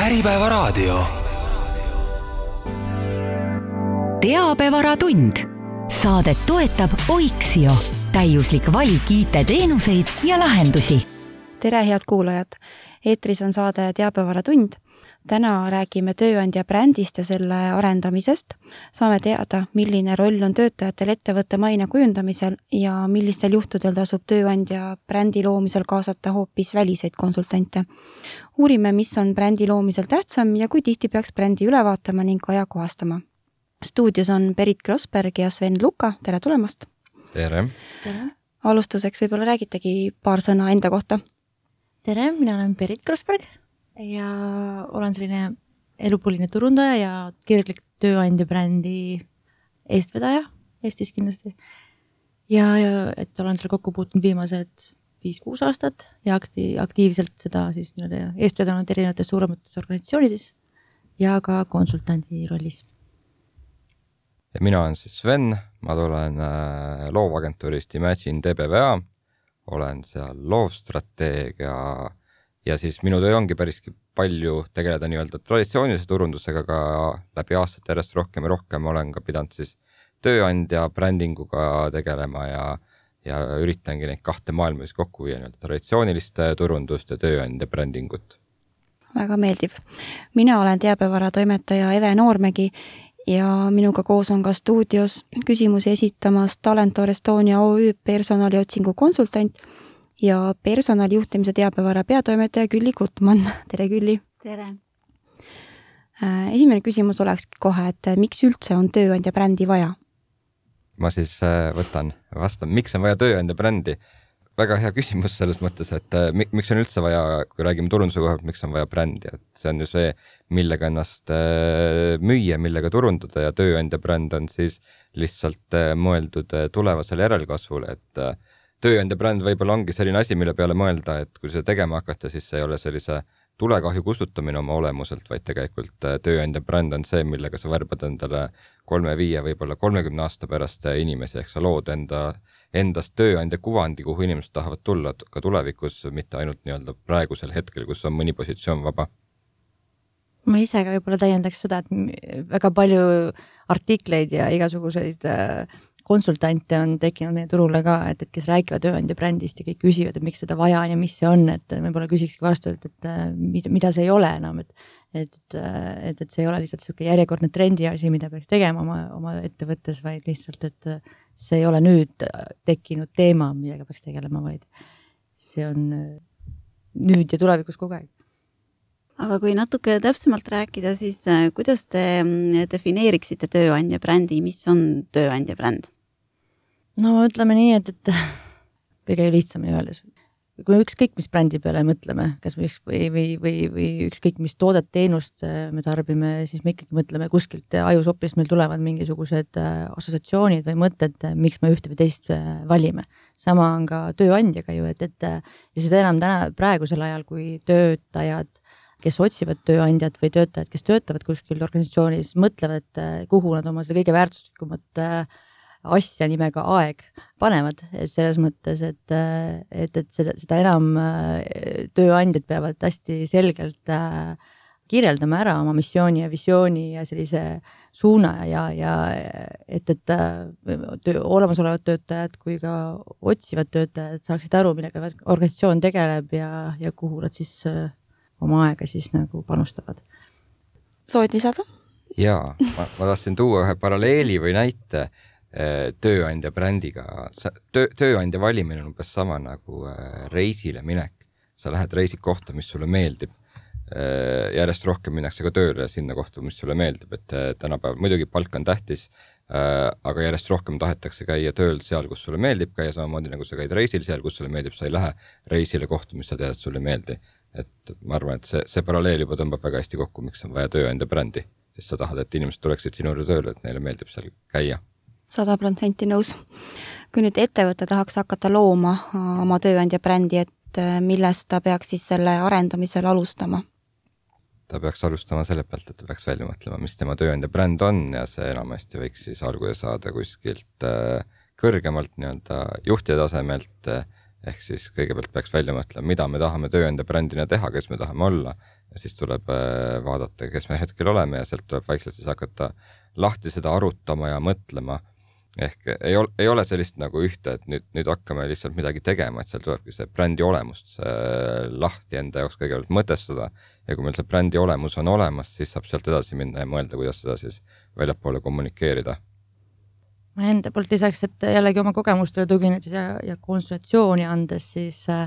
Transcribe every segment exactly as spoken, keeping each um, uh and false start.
Äripäevaraadio. Teabevaratund. Saadet toetab Oiksio. Täiuslik valik I T-teenuseid ja lahendusi. Tere, head kuulajad! Eetris on saade Teabevaratund. Täna räägime tööandja brändist ja selle arendamisest. Saame teada, milline roll on töötajatel ettevõtte maine kujundamisel ja millistel juhtudel tasub tööandja brändi loomisel kaasata hoopis väliseid konsultante. Uurime, mis on brändi loomisel tähtsam ja kui tihti peaks brändi üle vaatama ning ajakohastama. Stuudios on Berit Grossberg ja Sven Luka. Tere tulemast! Tere! Tere. Alustuseks võib-olla räägitegi paar sõna enda kohta. Tere, mina olen Berit Grossberg ja olen selline elupõline turundaja ja kirjalik tööandja brändi eestvedaja Eestis kindlasti. Ja, ja et olen seal kokku puutunud viimased viis-kuus aastat ja akti, aktiivselt seda siis eestvedanud erinevates suuremates organisatsioonides ja ka konsultandi rollis. Ja mina olen siis Sven, ma tulen loovagentuurist Imagine T B V A, olen seal loovstrateegia ja siis minu töö ongi päriski palju tegeleda nii-öelda traditsioonilise turundusega, ka läbi aastate järjest rohkem ja rohkem olen ka pidanud siis tööandja brändinguga tegelema ja, ja üritangi neid kahte maailma siis kokku viia, nii-öelda traditsioonilist turundust ja tööandja brändingut. Väga meeldiv. Mina olen teabevaratoimetaja Eve Noormägi ja minuga koos on ka stuudios küsimusi esitamas Talentor Estonia O Ü personaliotsingu konsultant ja personalijuhtimise teabevara peatoimetaja Külli Kutman. Tere, Külli! Tere! Esimene küsimus olekski kohe, et miks üldse on tööandja brändi vaja? Ma siis võtan vastan, miks on vaja tööandja brändi? Väga hea küsimus selles mõttes, et miks on üldse vaja, kui räägime turunduse kohalt, miks on vaja brändi. Et see on ju see, millega ennast müüa, millega turundada ja tööandja bränd on siis lihtsalt mõeldud tulevasele järelkasvule, et tööandja bränd võib-olla ongi selline asi, mille peale mõelda, et kui see tegema hakata, siis see ei ole sellise tulekahju kustutamine oma olemuselt, vaid tegelikult tööandja bränd on see, millega sa värbad endale kolme, viie, võib-olla kolmekümne aasta pärast inimesi, ehk sa lood enda, endast tööandja kuvandi, kuhu inimesed tahavad tulla ka tulevikus, mitte ainult nii-öelda praegusel hetkel, kus on mõni positsioon vaba. Ma ise ka võib-olla täiendaks seda, et väga palju artikleid ja igasuguseid konsultante on tekkinud meie turule ka, et, et kes räägivad tööandja brändist ja kõik küsivad, et miks seda vaja on ja mis see on, et võib-olla küsikski vastu, et, et mida, mida see ei ole enam, et, et, et, et see ei ole lihtsalt selline järjekordne trendi asi, mida peaks tegema oma, oma ettevõttes, vaid lihtsalt, et see ei ole nüüd tekkinud teema, millega peaks tegelema, vaid see on nüüd ja tulevikus kogu aeg. Aga kui natuke täpsemalt rääkida, siis kuidas te defineeriksite tööandja brändi, mis on tööandja bränd? No ütleme nii, et, et kõige lihtsamini öeldes. Kui me ükskõik mis brändi peale mõtleme, kas või, või, või, või ükskõik mis toodet teenust me tarbime, siis me ikkagi mõtleme kuskilt ajusopist, meil tulevad mingisugused assotsiatsioonid või mõtted, miks me ühte või teist valime. Sama on ka tööandjaga ju, et, et ja seda enam täna praegusel ajal, kui töötajad kes otsivad tööandjad või töötajad, kes töötavad kuskil organisatsioonis, mõtlevad, kuhu nad oma seda kõige väärtuslikumat asja nimega aeg panevad. Selles mõttes, et, et, et seda, seda enam tööandjad peavad hästi selgelt kirjeldama ära oma missiooni ja visiooni ja sellise suuna ja, ja et, et töö, olemasolevad töötajad kui ka otsivad töötajad saaksid aru, millega organisatsioon tegeleb ja, ja kuhu nad siis oma aega siis nagu panustavad. Soovid lisada? Jaa, ma, ma tahtsin tuua ühe paralleeli või näite tööandja brändiga. Töö, tööandja valimine on umbes sama nagu reisile minek. Sa lähed reisid kohta, mis sulle meeldib. Järjest rohkem minnakse ka tööle sinna kohta, mis sulle meeldib. Et tänapäeval muidugi palk on tähtis, aga järjest rohkem tahetakse käia tööl seal, kus sulle meeldib käia, samamoodi nagu sa käid reisil seal, kus sulle meeldib, sa ei lähe reisile kohta, mis sa tead, et sulle meeldi. Et ma arvan, et see, see paralleel juba tõmbab väga hästi kokku, miks on vaja tööandja brändi, sest sa tahad, et inimesed tuleksid sinule tööle, et neile meeldib seal käia. sada protsenti nõus. Kui nüüd ettevõte tahaks hakata looma oma tööandja brändi, et millest ta peaks siis selle arendamisel alustama? Ta peaks alustama selle pealt, et ta peaks välja mõtlema, mis tema tööandja bränd on ja see enamasti võiks siis alguse saada kuskilt kõrgemalt nii-öelda juhtide tasemelt, ehk siis kõigepealt peaks välja mõtlema, mida me tahame tööandja brändina teha, kes me tahame olla ja siis tuleb vaadata, kes me hetkel oleme ja sealt tuleb vaikselt siis hakata lahti seda arutama ja mõtlema. Ehk ei ole, ei ole sellist nagu ühte, et nüüd, nüüd hakkame lihtsalt midagi tegema, et seal tulebki see brändi olemust see lahti enda jaoks kõigepealt mõtestada ja kui meil see brändi olemus on olemas, siis saab sealt edasi minna ja mõelda, kuidas seda siis väljapoole kommunikeerida. Ma enda poolt lisaks, et jällegi oma kogemustele tuginedes ja, ja konsultatsiooni andes, siis äh,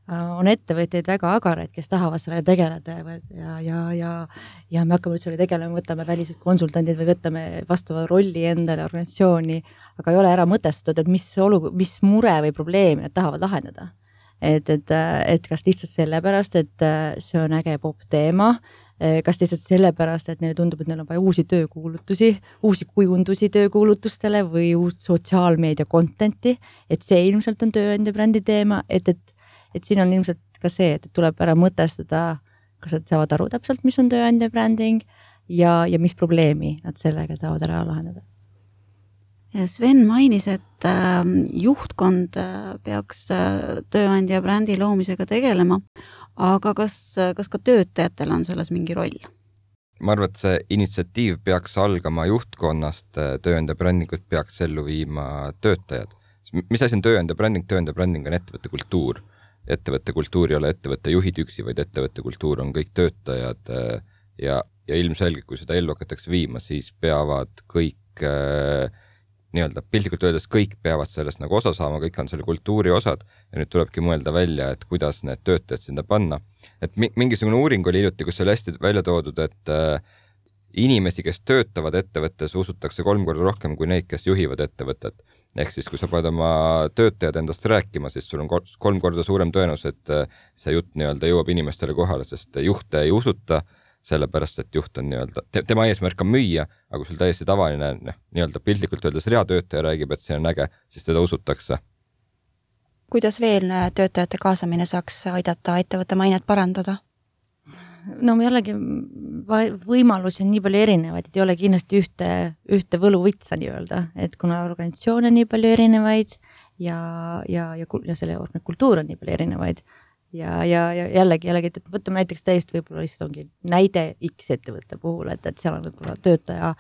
on ettevõtteid väga agaraid, kes tahavad sellega tegeleda ja, ja, ja, ja me hakkame üldse tegelema, võtame välised konsultandid või võtame vastava rolli endale organisatsiooni, aga ei ole ära mõtestatud, et mis, olu, mis mure või probleemi nad tahavad lahendada. Et, et, et kas lihtsalt sellepärast, et see on äge pop teema, kas lihtsalt sellepärast, et neile tundub, et neil on vaja uusi töökuulutusi, uusi kujundusi töökuulutustele või uut sotsiaalmeedia contenti, et see ilmselt on tööandja brändi teema, et, et et siin on ilmselt ka see, et tuleb ära mõtestada, kas nad saavad aru täpselt, mis on tööandja bränding ja, ja mis probleemi nad sellega tahavad ära lahendada. Sven mainis, et juhtkond peaks tööandja brändi loomisega tegelema, aga kas, kas ka töötajatel on selles mingi roll? Ma arvan, et see initsiatiiv peaks algama juhtkonnast, tööandja brändingut peaks ellu viima töötajad. Mis asi on tööandja bränding? Tööandja bränding on ettevõtte kultuur. Ettevõtte kultuur ei ole ettevõtte juhid üksi, vaid ettevõtte kultuur on kõik töötajad ja, ja ilmselgelt, kui seda ellu hakatakse viima, siis peavad kõik nii-öelda piltlikult öeldes kõik peavad sellest nagu osa saama, kõik on selle kultuuri osad ja nüüd tulebki mõelda välja, et kuidas need töötajad sinna panna. Et mingisugune uuring oli hiljuti, kus oli hästi välja toodud, et inimesi, kes töötavad ettevõttes, usutakse kolm korda rohkem kui neid, kes juhivad ettevõtet. Ehk siis, kui sa paned oma töötajad endast rääkima, siis sul on kolm korda suurem tõenus, et see jutt nii-öelda jõuab inimestele kohale, sest juhte ei usuta, sellepärast, et juht on nii-öelda, tema eesmärk on müüa, aga kui sul täiesti tavaline nii-öelda piltlikult öeldes reatöötaja räägib, et see on äge, siis teda usutakse. Kuidas veel töötajate kaasamine saaks aidata ettevõtte mainet parandada? No jällegi võimalusi on nii palju erinevaid, et ei ole kindlasti ühte, ühte võluvitsa nii öelda, et kuna organisatsioon on nii palju erinevaid ja, ja, ja, ja selle kultuur on nii palju erinevaid ja, ja, ja jällegi, jällegi, et võtame näiteks täiesti võib-olla lihtsalt ongi näide X ettevõtte puhul, et, et seal on võib-olla töötaja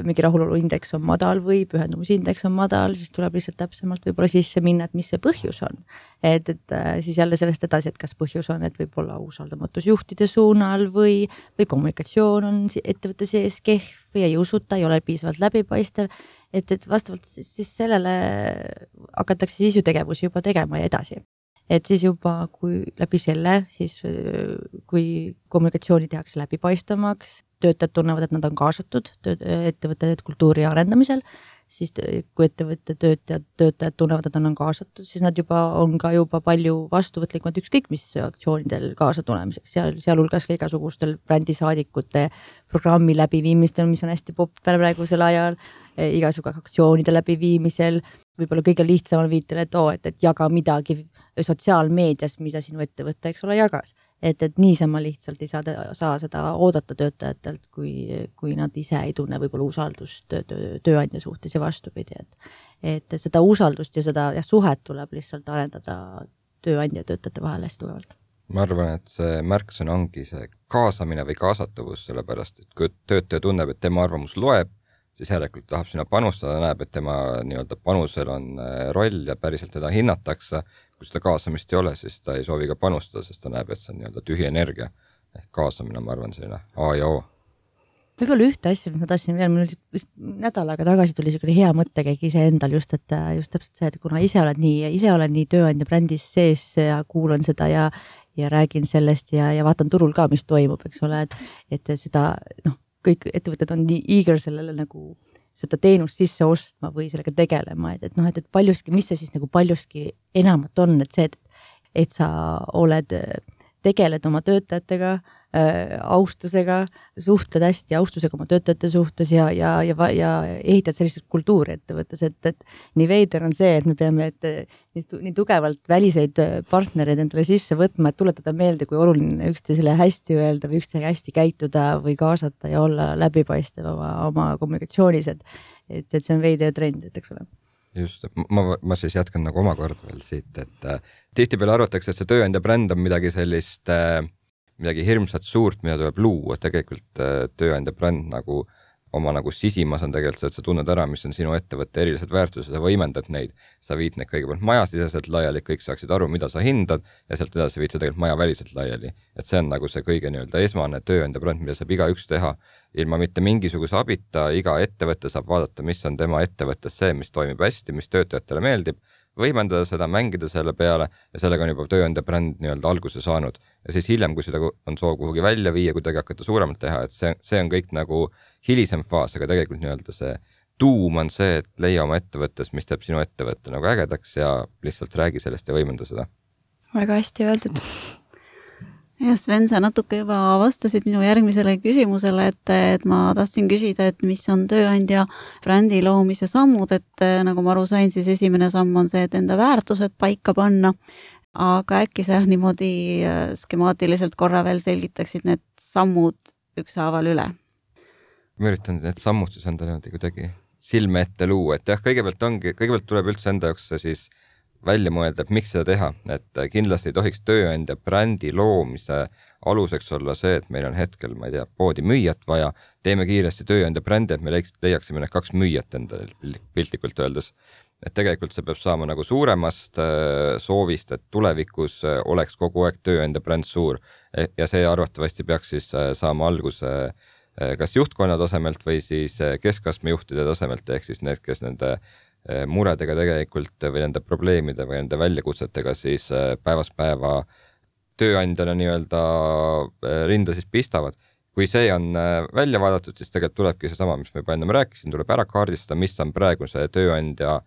mingi rahuloluindeks on madal või pühendumusindeks on madal, siis tuleb lihtsalt täpsemalt võib-olla sisse minna, et mis see põhjus on. Et, et siis jälle sellest edasi, et kas põhjus on, et võib-olla usaldamatus juhtide suunal või, või kommunikatsioon on ettevõtte sees kehv või ei usuta, ei ole piisavalt läbipaistev, et, et vastavalt siis, siis sellele hakatakse siis ju tegevusi juba tegema ja edasi. Et siis juba, kui läbi selle, siis kui kommunikatsiooni tehakse läbipaistamaks, töötajad tunnevad, et nad on kaasatud ettevõtte kultuuri arendamisel, siis kui ettevõtte töötajad, töötajad tunnevad, et nad on kaasatud, siis nad juba on ka juba palju vastuvõtlikumad ükskõik mis aktsioonidel kaasa tulemiseks, seal, sealhulgas ka igasugustel brändisaadikute programmi läbiviimistel, mis on hästi popp praegusel ajal, igasugu aktsioonide läbiviimisel, võib-olla kõige lihtsamal viitel, et, oo, et, et jaga midagi sotsiaalmeedias, mida sinu ettevõtte, eks ole, jagas. Et, et niisama lihtsalt ei saa, saa seda oodata töötajatelt, kui, kui nad ise ei tunne võib-olla usaldust töö, tööandja suhtes ja vastupidi. Et, et seda usaldust ja seda ja suhet tuleb lihtsalt arendada tööandja ja töötajate vahel hästi tugevalt. Ma arvan, et see märksõna ongi see kaasamine või kaasatuvus, sellepärast, et kui töötaja tunneb, et tema arvamus loeb, siis järelikult tahab sinna panustada, näeb, et tema nii-öelda panusel on roll ja päriselt teda hinnatakse. Kui seda kaasamist ei ole, siis ta ei soovi ka panustada, sest ta näeb, et see on nii-öelda tühi energia. Ehk kaasamine, ma arvan, selline A ja O. Võib-olla ühte asja, mis ma tahtsin veel, mul just nädalaga tagasi tuli selline hea mõttekäik ise endal just, et just täpselt see, et kuna ise oled nii, ise olen nii tööandja brändis sees ja kuulan seda ja, ja räägin sellest ja, ja vaatan turul ka, mis toimub, eks ole, et, et seda, noh, kõik ettevõtted on nii eager sellele nagu seda teenust sisse ostma või sellega tegelema, et, et noh, et, et paljuski, mis see siis nagu paljuski enamat on, et see, et, et sa oled, tegeled oma töötajatega äh, austusega, suhtled hästi austusega oma töötajate suhtes ja, ja, ja, ja ehitad sellised kultuuri ettevõttes, et, et nii veider on see, et me peame et, nii, nii tugevalt väliseid partnereid endale sisse võtma, et tuletada meelde, kui oluline üksteisele hästi öelda või üksteisele hästi käituda või kaasata ja olla läbipaistev oma, oma kommunikatsioonis, et, et, et see on veider trend, et eks ole. Just, ma, ma siis jätkan nagu omakorda veel siit, et äh, tihtipeale arvatakse, et see tööandja bränd on midagi sellist, äh, midagi hirmsat suurt, mida tuleb luua, tegelikult tööandja bränd nagu oma nagu sisimas on tegelikult see, et sa tunned ära, mis on sinu ettevõtte erilised väärtused, sa võimendad neid, sa viid neid kõigepealt majasiseselt laiali, kõik saaksid aru, mida sa hindad ja sealt edasi viid sa tegelikult maja väliselt laiali. Et see on nagu see kõige nii-öelda esmane tööandja bränd, mida saab igaüks teha ilma mitte mingisuguse abita, iga ettevõtte saab vaadata, mis on tema ettevõttes see, mis toimib hästi, mis töötajatele meeldib, võimendada seda, mängida selle peale ja sellega on juba tööandja bränd nii-öelda alguse saanud. Ja siis hiljem, kui seda on soov kuhugi välja viia, kuidagi hakata suuremalt teha, et see, see on kõik nagu hilisem faas, aga tegelikult nii-öelda see tuum on see, et leia oma ettevõttes, mis teeb sinu ettevõtte nagu ägedaks ja lihtsalt räägi sellest ja võimenda seda. Väga hästi öeldud. Ja Sven, sa natuke juba vastasid minu järgmisele küsimusele, et, et ma tahtsin küsida, et mis on tööandja brändi loomise sammud, et nagu ma aru sain, siis esimene samm on see, et enda väärtused paika panna, aga äkki sa niimoodi skemaatiliselt korra veel selgitaksid need sammud ükshaaval üle? Ma üritan need sammud siis enda niimoodi kuidagi silme ette luua, et jah, kõigepealt ongi, kõigepealt tuleb üldse enda jaoks siis välja mõelda, et miks seda teha, et kindlasti ei tohiks tööandja brändi loomise aluseks olla see, et meil on hetkel, ma ei tea, poodi müüjat vaja, teeme kiiresti tööandja brändi, et me leiaksime need kaks müüjat endale piltlikult öeldes. Et tegelikult see peab saama nagu suuremast soovist, et tulevikus oleks kogu aeg tööandja bränd suur ja see arvatavasti peaks siis saama alguse kas juhtkonna tasemelt või siis keskastme juhtide tasemelt, ehk siis need, kes nende muredega tegelikult või nende probleemide või nende väljakutsetega siis päevast päeva tööandjana nii-öelda rinda siis pistavad. Kui see on välja vaadatud, siis tegelikult tulebki see sama, mis me juba enne rääkisin, tuleb ära kaardistada, mis on praegu see tööandja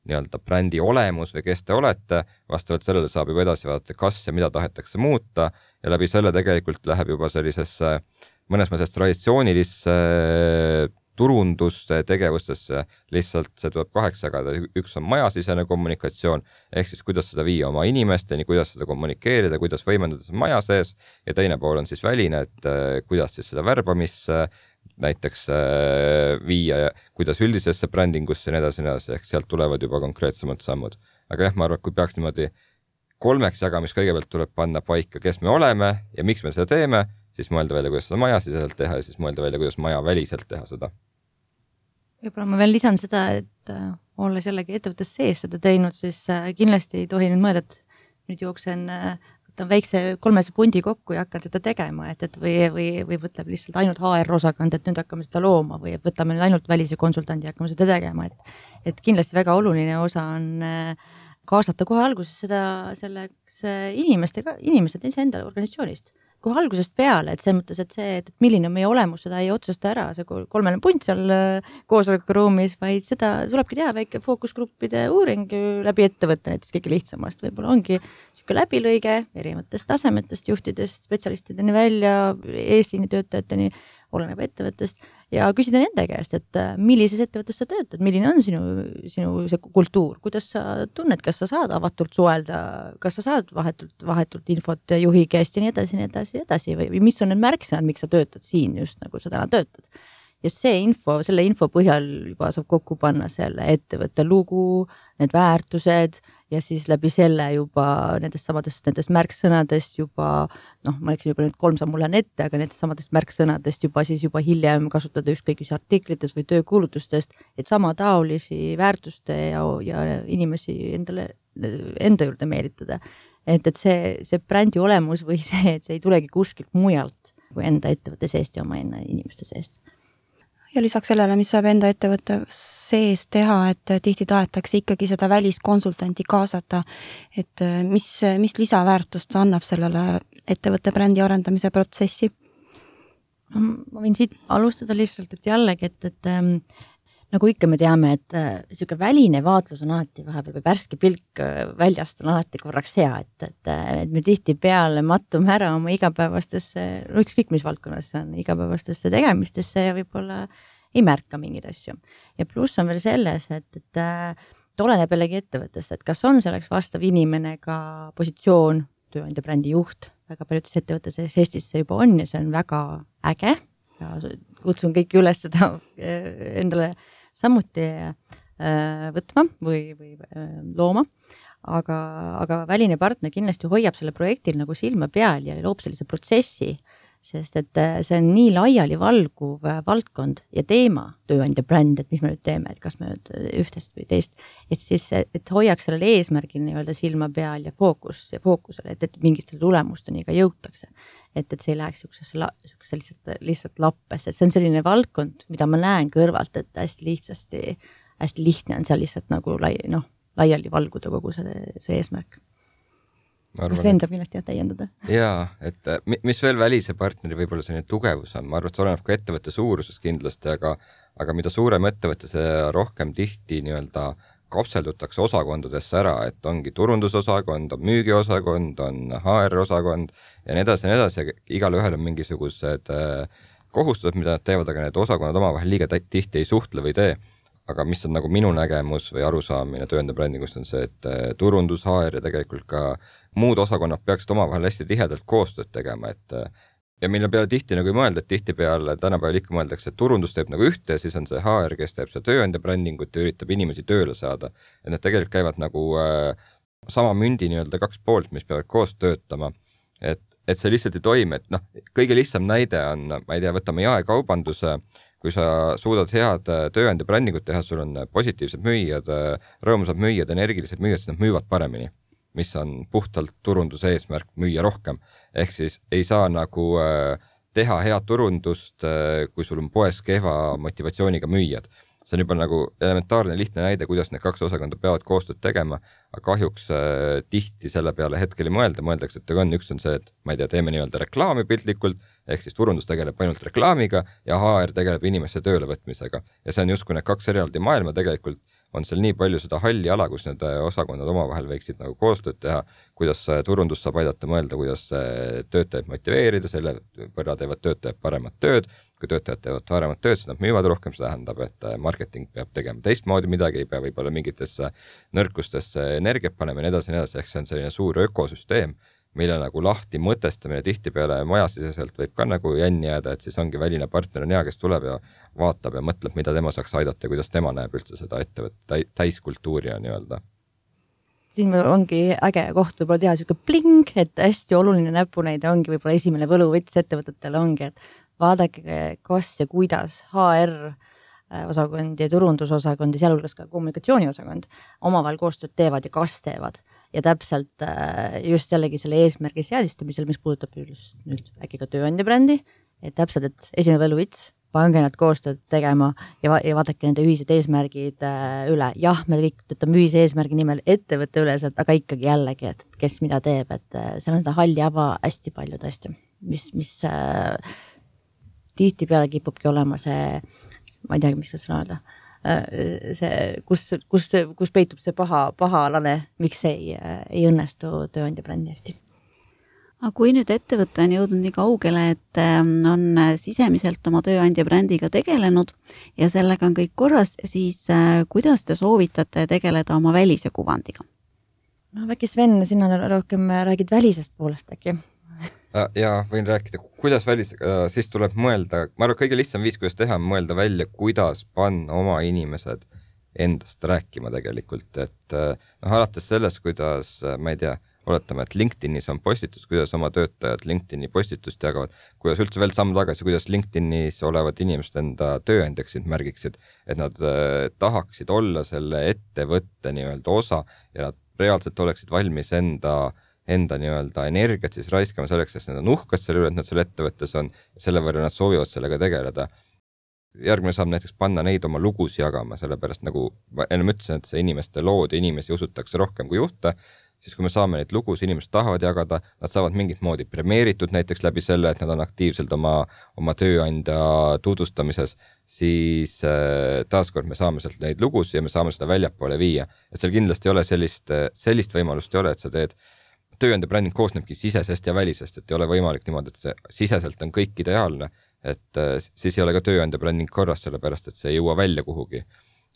nii-öelda brändi olemus või kes te olete, vastavalt sellele saab juba edasi vaadata, kas ja mida tahetakse muuta ja läbi selle tegelikult läheb juba sellisesse mõnes mõttes traditsioonilisse turundustegevustesse, lihtsalt see tuleb kaheks jagada, üks on majasisene kommunikatsioon, ehk siis kuidas seda viia oma inimesteni, kuidas seda kommunikeerida, kuidas võimendada seda maja sees ja teine pool on siis väline, et kuidas siis seda värbamisse näiteks viia ja kuidas üldisesse brändingusse ja nii edasi, nii edasi, ehk sealt tulevad juba konkreetsemad sammud. Aga jah, ma arvan, kui peaks niimoodi kolmeks jagamist kõigepealt tuleb panna paika, kes me oleme ja miks me seda teeme, siis mõelda välja, kuidas seda majasiseselt teha ja siis mõelda välja, kuidas maja väliselt teha seda. Võib-olla ma veel lisan seda, et äh, olles jällegi ettevõttes sees seda teinud, siis äh, kindlasti ei tohi nüüd mõelda, et nüüd jooksen äh, võtan väikse kolmese pundi kokku ja hakkan seda tegema, et, et või, või, või võtab lihtsalt ainult H R-osakond, et nüüd hakkame seda looma või võtame nüüd ainult välise konsultandi ja hakkame seda tegema, et, et kindlasti väga oluline osa on äh, kaasata kohe alguses seda, selleks inimestega, inimesed enda organisatsioonist. Kohe algusest peale, et see mõttes, et see, et milline on meie olemus, seda ei otsusta ära, see kolmene punt seal koosolekuruumis, vaid seda tulebki teha väike fookusgruppide uuring läbi ettevõtte, näiteks kõige lihtsamast. Võib-olla ongi siuke läbilõige erinevatest tasemetest, juhtidest, spetsialistideni välja, eesliini töötajateni, oleneb ettevõttest ja küsida nende käest, et millises ettevõttes sa töötad, milline on sinu, sinu see kultuur, kuidas sa tunned, kas sa saad avatult suelda, kas sa saad vahetult, vahetult infot juhi käest ja nii edasi, nii edasi, edasi või, või mis on need märksõnad, miks sa töötad siin just nagu sa täna töötad. Ja see info, selle info põhjal juba saab kokku panna selle ettevõtte lugu, need väärtused ja siis läbi selle juba nendest samadest nendest märksõnadest juba, noh, ma läksin juba nüüd kolm sammu lähen ette, aga nendest samadest märksõnadest juba siis juba hiljem kasutada ükskõik mis artiklites või töökuulutustest, et sama taolisi väärtuste ja, ja inimesi endale, enda juurde meelitada. Et, et see, see brändi olemus või see, et see ei tulegi kuskilt mujalt kui enda ettevõtte seest ja oma enda inimeste seest. Ja lisaks sellele, mis saab enda ettevõtte sees teha, et tihti tahetakse ikkagi seda väliskonsultanti kaasata, et mis, mis lisaväärtust annab sellele ettevõtte brändi arendamise protsessi? Ma võin siit alustada lihtsalt, et jällegi, et, et ähm, nagu ikka me teame, et äh, siuke väline vaatlus on alati vahepeal või värske pilk väljast on alati korraks hea, et, et, et me tihti peale mattume ära oma igapäevastesse, no ükskõik mis valdkonnas see on, igapäevastesse tegemistesse ja võib-olla ei märka mingeid asju. Ja pluss on veel selles, et, et et oleneb jällegi ettevõttest, et kas on selleks vastav inimene ka positsioon, tööandja brändi juht, väga paljudes ettevõttes Eestis see juba on ja see on väga äge ja kutsun kõiki üles seda endale samuti võtma või, või looma. aga, aga väline partner kindlasti hoiab selle projektil nagu silma peal ja loob sellise protsessi, sest et see on nii laiali valguv valdkond ja teema, tööandja bränd, et mis me nüüd teeme, et kas me nüüd ühtest või teist, et siis, et hoiaks sellel eesmärgil nii-öelda silma peal ja fookus ja fookusele, et, et mingistele tulemusteni ka jõutakse. Et, et see ei läheks siuksesse, siuksesse lihtsalt, lihtsalt lappesse, et see on selline valdkond, mida ma näen kõrvalt, et hästi lihtsasti, hästi lihtne on seal lihtsalt nagu lai, noh, laiali valguda kogu see, see eesmärk. Kas Sven saab kindlasti täiendada? Jaa, et mis veel välise partneri võib-olla selline tugevus on, ma arvan, et see oleneb ka ettevõtte suuruses kindlasti, aga, aga mida suurem ettevõtte, see rohkem tihti nii-öelda kapseldutakse osakondadesse ära, et ongi turundusosakond, on müügiosakond, on H R-osakond ja nii edasi ja nii edasi, igal ühel on mingisugused kohustused, mida nad teevad, aga need osakonnad omavahel liiga tihti ei suhtle või tee. Aga mis on nagu minu nägemus või arusaamine tööandja brändingust on see, et turundus, H R ja tegelikult ka muud osakonnad peaksid omavahel hästi tihedalt koostööd tegema, et ja mille peale tihti nagu ei mõelda, et tihti peale tänapäeval ikka mõeldakse, et turundus teeb nagu ühte ja siis on see H R, kes teeb see tööandja brändingut ja üritab inimesi tööle saada. Et need tegelikult käivad nagu äh, sama mündi nii-öelda kaks poolt, mis peavad koos töötama. Et, et see lihtsalt ei toimi, et noh, kõige lihtsam näide on, ma ei tea, võtame jaekaubanduse, kui sa suudad head tööandja brändingut teha, sul on positiivsed müüjad, rõõmusad müüjad, energilised müüjad, siis nad müüvad paremini, mis on puhtalt turunduse eesmärk müüa rohkem. Ehk siis ei saa nagu teha head turundust, kui sul on poes kehva motivatsiooniga müüjad. See on juba nagu elementaarne lihtne näide, kuidas need kaks osakonda peavad koostööd tegema, aga kahjuks äh, tihti selle peale hetkel ei mõelda, mõeldakse, et on, üks on see, et ma ei tea, teeme nii-öelda reklaami piltlikult, ehk siis turundus tegeleb ainult reklaamiga ja H R tegeleb inimeste töölevõtmisega. Ja see on justkui need kaks eraldi maailma, tegelikult on seal nii palju seda halli ala, kus need osakonnad omavahel võiksid nagu koostööd teha, kuidas turundus saab aidata mõelda, kuidas töötajaid motiveerida, selle võrra teevad töötajad paremat tööd, kui töötajad teevad paremat tööd, siis nad müüvad rohkem, see tähendab, et marketing peab tegema teistmoodi midagi, ei pea võib-olla mingitesse nõrkustesse energiat panema ja nii edasi, nii edasi, ehk see on selline suur ökosüsteem, mille nagu lahti mõtestamine tihtipeale majasiseselt võib ka nagu jänni jääda, et siis ongi väline partner on hea, kes tuleb ja vaatab ja mõtleb, mida tema saaks aidata ja kuidas tema näeb üldse seda ettevõtte täiskultuuri on nii-öelda. Siin ongi äge koht võib-olla teha siuke pling, et hästi oluline näpunäide ongi võib-olla esimene võluvõts ettevõtetele ongi, et vaadake, kas ja kuidas H R osakond ja turundusosakond ja sealhulgas ka kommunikatsiooniosakond omavahel koostööd teevad ja kas teevad. Ja täpselt just jällegi selle eesmärgi seadistamisel, mis puudutab just nüüd äkki ka tööandja brändi, et täpselt, et esimene võluvits, pange nad koostööd tegema ja, va ja vaadake nende ühised eesmärgid üle. Jah, me kõik töötame ühise eesmärgi nimel ettevõtte üleselt, aga ikkagi jällegi, et kes mida teeb, et seal on seda halli ava hästi palju tõesti, mis, mis äh, tihti peale kipubki olema see, ma ei tea, mis see sõna öelda, see, kus, kus, kus peitub see paha, paha alane, miks ei, ei õnnestu tööandja brändi hästi. Aga kui nüüd ettevõte on jõudnud nii kaugele, et on sisemiselt oma tööandja brändiga tegelenud ja sellega on kõik korras, siis kuidas te soovitate tegeleda oma välise kuvandiga? No äkki Sven, sina rohkem räägid välisest poolest äkki? Ja võin rääkida, kuidas välisega, siis tuleb mõelda, ma arvan, kõige lihtsam viis, kuidas teha, mõelda välja, kuidas panna oma inimesed endast rääkima tegelikult, et noh, alates sellest, kuidas, ma ei tea, oletame, et LinkedInis on postitus, kuidas oma töötajad LinkedIni postitust jagavad, kuidas üldse veel samm tagasi, kuidas LinkedInis olevad inimesed enda tööandjaksid märgiksid, et nad äh, tahaksid olla selle ettevõtte nii-öelda osa ja nad reaalselt oleksid valmis enda enda nii-öelda energiat siis raiskama selleks, sest nad on uhked selle üle, et nad selle ettevõttes on ja selle võrra nad soovivad sellega tegeleda. Järgmine saab näiteks panna neid oma lugus jagama, sellepärast nagu enne ütlesin, et see inimeste lood ja inimesi usutakse rohkem kui juhte, siis kui me saame neid lugus, inimesed tahavad jagada, nad saavad mingit moodi premeeritud näiteks läbi selle, et nad on aktiivselt oma, oma tööandja tutvustamises, siis äh, taaskord me saame sealt neid lugus ja me saame seda väljapoole viia. Et seal kindlasti ei ole sellist, sellist võimalust ei ole, et sa teed tööandja bränding koosnebki sisesest ja välisest, et ei ole võimalik niimoodi, et see siseselt on kõik ideaalne, et siis ei ole ka tööandja bränding korras, sellepärast et see ei jõua välja kuhugi.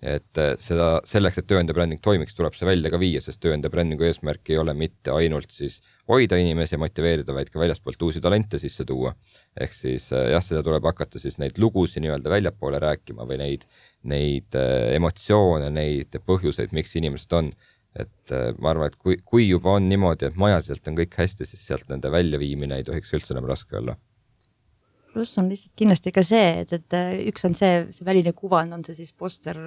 Et seda, selleks, et tööandja bränding toimiks, tuleb see välja ka viia, sest tööandja brändingu eesmärk ei ole mitte ainult siis hoida inimesi ja motiveerida, vaid ka väljaspoolt uusi talente sisse tuua. Ehk siis jah, seda tuleb hakata siis neid lugusi nii-öelda väljapoole rääkima või neid, neid emotsioone, neid põhjuseid, miks inimesed on. et ma arvan, et kui, kui juba on niimoodi, et majaselt on kõik hästi, siis sealt nende väljaviimine ei tohiks üldse enam raske olla. Pluss on lihtsalt kindlasti ka see, et, et üks on see, see väline kuvand, on see siis poster,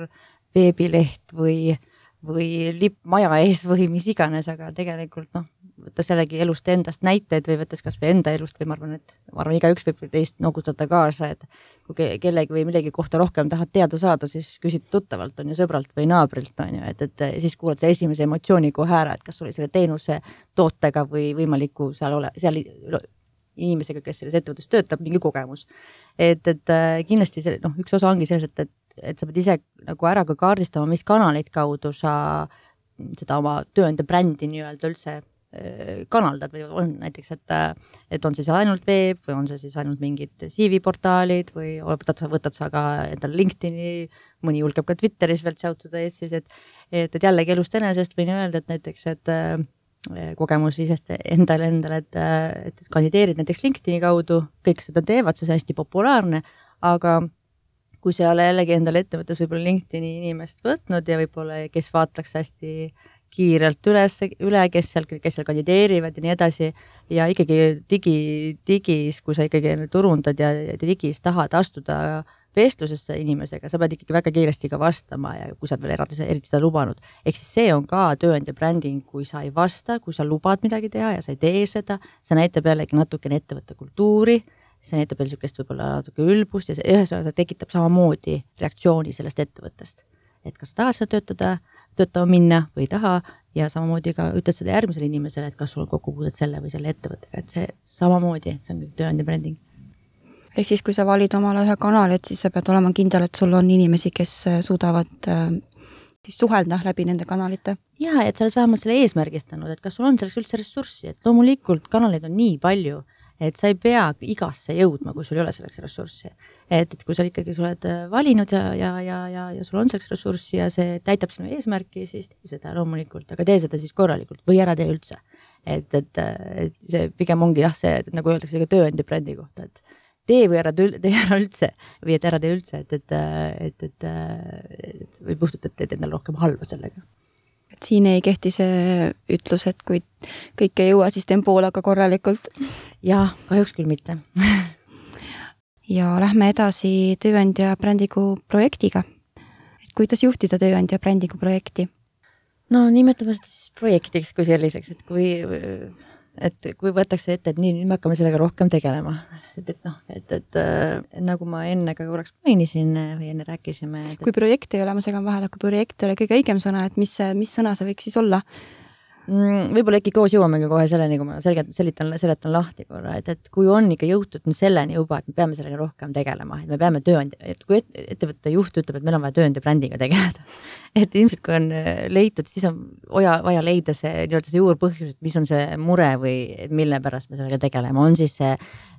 veebileht või, või lipp maja ees või mis iganes, aga tegelikult noh, võttes jällegi elust endast näiteid või võttes kas või enda elust või ma arvan, et ma arvan, iga üks võib teist nogutada kaasa, et kui kellegi või millegi kohta rohkem tahad teada saada, siis küsid tuttavalt on ju sõbralt või naabrilt on ju, et, et siis kuulad see esimese emotsiooni kohe ära, et kas oli selle teenuse tootega või võimaliku seal ole, seal inimesega, kes selles ettevõttes töötab, mingi kogemus. Et, et kindlasti see, noh, üks osa ongi selles, et, et, et sa pead ise nagu ära ka kaardistama, mis kanaleid kaudu sa seda oma tööandja brändi nii-öelda üldse kanaldad või on näiteks, et, et on siis ainult veeb või on see siis ainult mingid C V-portaalid või võtad sa, võtad sa ka endal LinkedIn'i, mõni julgeb ka Twitteris veel tšautuda ees siis, et, et, et jällegi elust enesest võin öelda, et näiteks, et kogemus isest endale endale, et, et, et kandideerid näiteks LinkedIn'i kaudu, kõik seda teevad, see on hästi populaarne, aga kui sa ei ole jällegi endale ettevõttes võib-olla LinkedIn'i inimest võtnud ja võib-olla kes vaataks hästi kiirelt üles, üle, kes seal, kes seal kandideerivad ja nii edasi ja ikkagi digi, digis, kui sa ikkagi turundad ja, ja digis tahad astuda vestlusesse inimesega, sa pead ikkagi väga kiiresti ka vastama ja kui sa oled veel eraldi, eriti seda lubanud. Ehk siis see on ka tööandja bränding, kui sa ei vasta, kui sa lubad midagi teha ja sa ei tee seda, see näitab jällegi natukene ettevõtte kultuuri, see näitab veel niisugust võib-olla natuke ülbust ja see ühesõnaga tekitab samamoodi reaktsiooni sellest ettevõttest. Et kas tahad seda töötada, töötama minna või ei taha ja samamoodi ka ütled seda järgmisele inimesele, et kas sul on kokkupuudet selle või selle ettevõttega, et see samamoodi, see on tööandja bränding. Ehk siis, kui sa valid omale ühe kanali, et siis sa pead olema kindel, et sul on inimesi, kes suudavad siis suhelda läbi nende kanalite. Ja, et sa oled vähemalt selle eesmärgistanud, et kas sul on selleks üldse ressurssi, et loomulikult kanaleid on nii palju, et sa ei pea igasse jõudma, kui sul ei ole selleks ressurssi. Et, et kui sa ikkagi sa oled valinud ja, ja, ja, ja, ja sul on selleks ressurssi ja see täitab sinu eesmärki, siis tee seda loomulikult, aga tee seda siis korralikult või ära tee üldse. Et, et, et see pigem ongi jah, see, et nagu öeldakse ka tööandja brändi kohta, et tee või ära, tee ära üldse või et ära tee üldse, et, et, et, et, et või puhtult, et teed endal rohkem halba sellega. Et siin ei kehti see ütlus, et kui kõik ei jõua, siis teen poolaga korralikult. Jah, kahjuks küll mitte. Ja lähme edasi tööandja brändigu projektiga. Et kuidas juhtida tööandja brändigu projekti? No nimetame seda siis projektiks kui selliseks, et kui, et kui võetakse ette, et nii, nüüd me hakkame sellega rohkem tegelema. Et, et noh, et, et, et nagu ma enne ka korraks mainisin või enne rääkisime. Et, kui projekt ei ole, ma segan vahele, kui projekt ei ole kõige õigem sõna, et mis, mis sõna see võiks siis olla? Võib-olla äkki koos jõuamegi kohe selleni, kui ma selgelt selitan, seletan lahti korra, et, et kui on ikka jõutud selleni juba, et me peame sellega rohkem tegelema, et me peame tööandja, et kui et, ettevõtte juht ütleb, et meil on vaja tööandja brändiga tegeleda, et ilmselt kui on leitud, siis on vaja, vaja leida see, nii-öelda see juurpõhjus, et mis on see mure või mille pärast me sellega tegelema, on siis see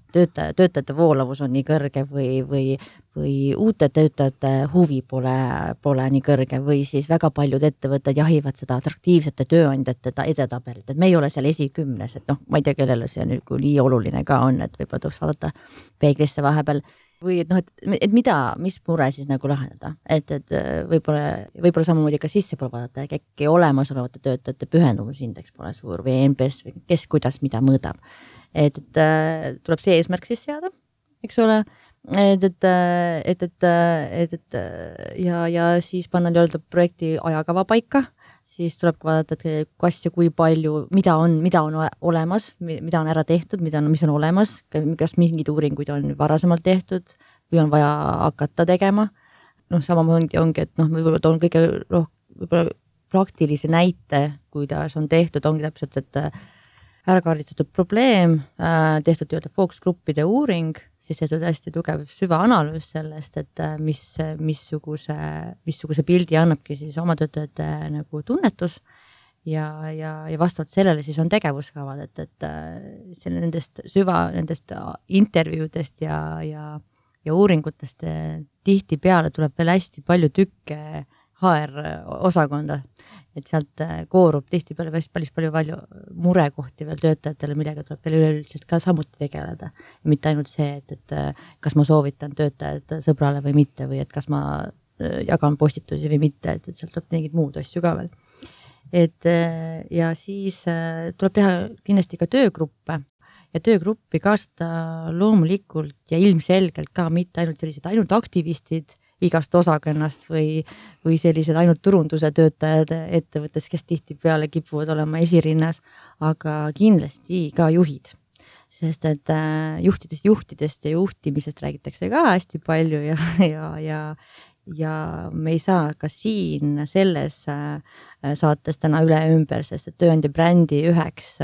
töötaja, töötajate voolavus on nii kõrge või, või, või uute töötajate huvi pole, pole nii kõrge või siis väga paljud ettevõtted jahivad seda atraktiivsete tööandjate edetabelit, et me ei ole seal esikümnes, et noh, ma ei tea, kellele see nüüd kui nii oluline ka on, et võib-olla tuleks vaadata peeglisse vahepeal või et noh, et, et mida, mis mure siis nagu lahendada, et, et võib-olla, võib-olla samamoodi ka sisse pole vaadata, äkki olemasolevate töötajate pühendumusindeks pole suur või N P S või kes kuidas mida mõõdab. Et, et tuleb see eesmärk siis seada, eks ole, et, et, et, et, et, et ja, ja siis panna nii-öelda projekti ajakava paika, siis tuleb vaadata, et kas ja kui palju, mida on, mida on olemas, mida on ära tehtud, mida on, mis on olemas, kas mingid uuringuid on varasemalt tehtud või on vaja hakata tegema. Noh, samamoodi ongi, et noh, võib-olla toon kõige roh, võib-olla praktilise näite, kuidas on tehtud, ongi täpselt, et ära kaardistatud probleem, tehtud töötada fookusgruppide uuring, siis tehtud hästi tugev süvaanalüüs sellest, et mis, missuguse, missuguse pildi annabki siis oma töötajate nagu tunnetus ja, ja, ja vastavalt sellele siis on tegevuskavad, et, et selle nendest süva, nendest intervjuudest ja, ja, ja uuringutest tihti peale tuleb veel hästi palju tükke H R-osakonda, et sealt koorub tihti peale päris palju, palju murekohti veel töötajatele, millega tuleb veel üleüldiselt ka samuti tegeleda. Ja mitte ainult see, et, et kas ma soovitan töötajad sõbrale või mitte või et kas ma jagan postitusi või mitte, et, et sealt tuleb mingid muud asju ka veel. et ja siis tuleb teha kindlasti ka töögruppe ja töögruppi kaasata loomulikult ja ilmselgelt ka mitte ainult sellised ainult aktivistid igast osakonnast või, või sellised ainult turunduse töötajad ettevõttes, kes tihtipeale kipuvad olema esirinnas, aga kindlasti ka juhid. Sest et juhtidest, juhtidest ja juhtimisest räägitakse ka hästi palju ja, ja, ja, ja me ei saa ka siin selles saates täna üle ümber, sest et tööandja brändi üheks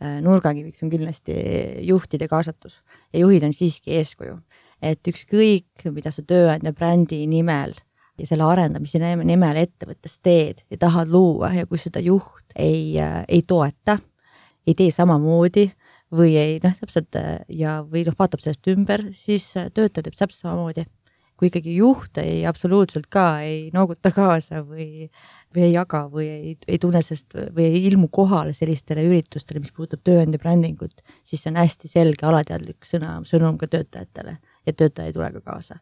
nurgakiviks on kindlasti juhtide kaasatus ja juhid on siiski eeskuju. Et ükskõik, mida sa tööandja brändi nimel ja selle arendamise nimel ettevõttes teed ja tahad luua ja kui seda juht ei, ei toeta, ei tee samamoodi või ei, noh, täpselt ja või noh, vaatab sellest ümber, siis töötaja teeb täpselt samamoodi. Kui ikkagi juht ei absoluutselt ka ei nooguta kaasa või, või ei jaga või ei, ei tunne sest või ei ilmu kohale sellistele üritustele, mis puudutab tööandja brändingut, siis see on hästi selge alateadlik sõna, sõnum ka töötajatele ja töötaja ei tule ka kaasa.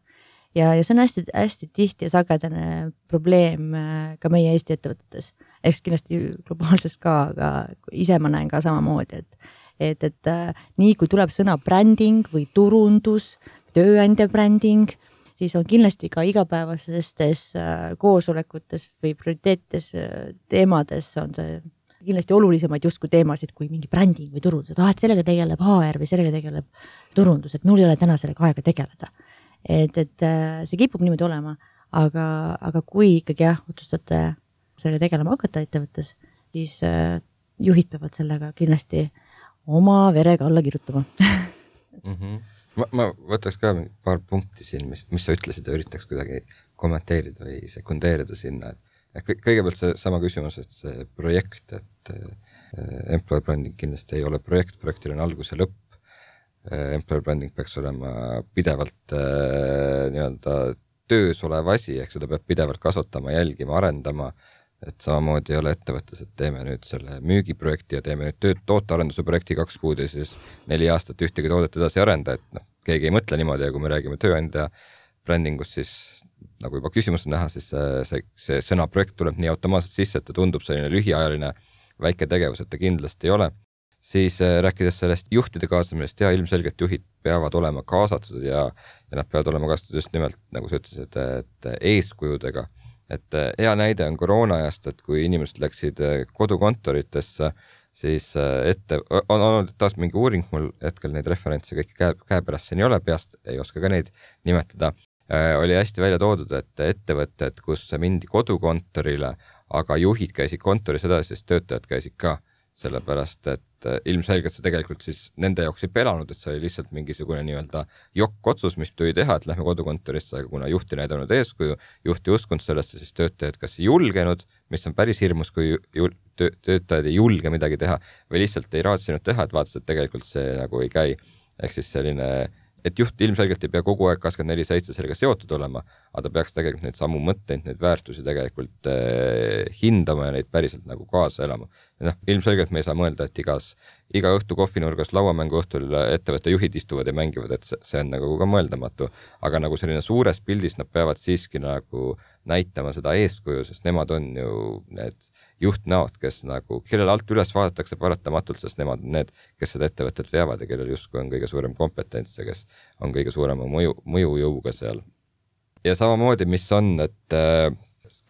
Ja, ja see on hästi, hästi tihti ja sagedane probleem ka meie Eesti ettevõtetes. Eks kindlasti globaalses ka, aga ise ma näen ka samamoodi, et, et, et nii kui tuleb sõna bränding või turundus, tööandja bränding, siis on kindlasti ka igapäevastes koosolekutes või prioriteetes teemades on see kindlasti olulisemaid justkui teemasid kui mingi bränding või turundus, et, ah, et sellega tegeleb H R või sellega tegeleb turundus, et mul ei ole täna sellega aega tegeleda. Et, et see kipub niimoodi olema, aga, aga kui ikkagi jah, otsustate sellega tegelema hakata ettevõttes, siis juhid peavad sellega kindlasti oma verega alla kirjutama. mm-hmm. Ma, ma võtaks ka paar punkti siin, mis, mis sa ütlesid ja üritaks kuidagi kommenteerida või sekundeerida sinna. Et kõigepealt see sama küsimus, et see projekt, et employer branding kindlasti ei ole projekt, projektil on algus ja lõpp. Employer branding peaks olema pidevalt nii-öelda töös olev asi, ehk seda peab pidevalt kasvatama, jälgima, arendama, et samamoodi ei ole ettevõttes, et teeme nüüd selle müügiprojekti ja teeme nüüd tööd, tootearenduse projekti kaks kuud ja siis neli aastat ühtegi toodet edasi arenda, et noh, keegi ei mõtle niimoodi ja kui me räägime tööandja brändingust, siis nagu juba küsimus on näha, siis see, see sõna projekt tuleb nii automaatselt sisse, et ta tundub selline lühiajaline väike tegevus, et ta kindlasti ei ole. Siis rääkides sellest juhtide kaasamisest ja ilmselgelt juhid peavad olema kaasatud ja, ja nad peavad olema kaasatud just nimelt, nagu sa ütlesid, et eeskujudega. Et hea näide on koroonajast, et kui inimesed läksid kodukontoritesse, siis ette, on olnud taas mingi uuring, mul hetkel neid referentse kõik käe, käepärast siin ei ole, peast ei oska ka neid nimetada, oli hästi välja toodud, et ettevõtted, kus mindi kodukontorile, aga juhid käisid kontoris edasi, siis töötajad käisid ka, sellepärast, et ilmselgelt see tegelikult siis nende jaoks ei pelanud, et see oli lihtsalt mingisugune nii-öelda jokk-otsus, mis tuli teha, et lähme kodukontorisse, aga kuna juhti näidanud eeskuju, juhti uskunud sellesse, siis töötajad kas ei julgenud, mis on päris hirmus, kui ju, töö, töötajad ei julge midagi teha või lihtsalt ei raatsinud teha, et vaatas, et tegelikult see nagu ei käi. Ehk siis selline, et juht ilmselgelt ei pea kogu aeg kakskümmend neli seitse sellega seotud olema, aga ta peaks tegelikult neid samu mõtteid, neid väärtusi tegelikult eh, hindama ja neid päriselt nagu kaasa elama. Ja noh, ilmselgelt me ei saa mõelda, et igas, iga õhtu kohvinurgas lauamängu õhtul ettevõtte juhid istuvad ja mängivad, et see on nagu ka mõeldamatu. Aga nagu selline suures pildis nad peavad siiski nagu näitama seda eeskuju, sest nemad on ju need juhtnäod, kes nagu, kellel alt üles vaadatakse paratamatult, sest nemad on need, kes seda ettevõtet veavad ja kellel justkui on kõige suurem kompetents ja kes on kõige suurema mõju, mõjujõuga seal. Ja samamoodi, mis on, et äh,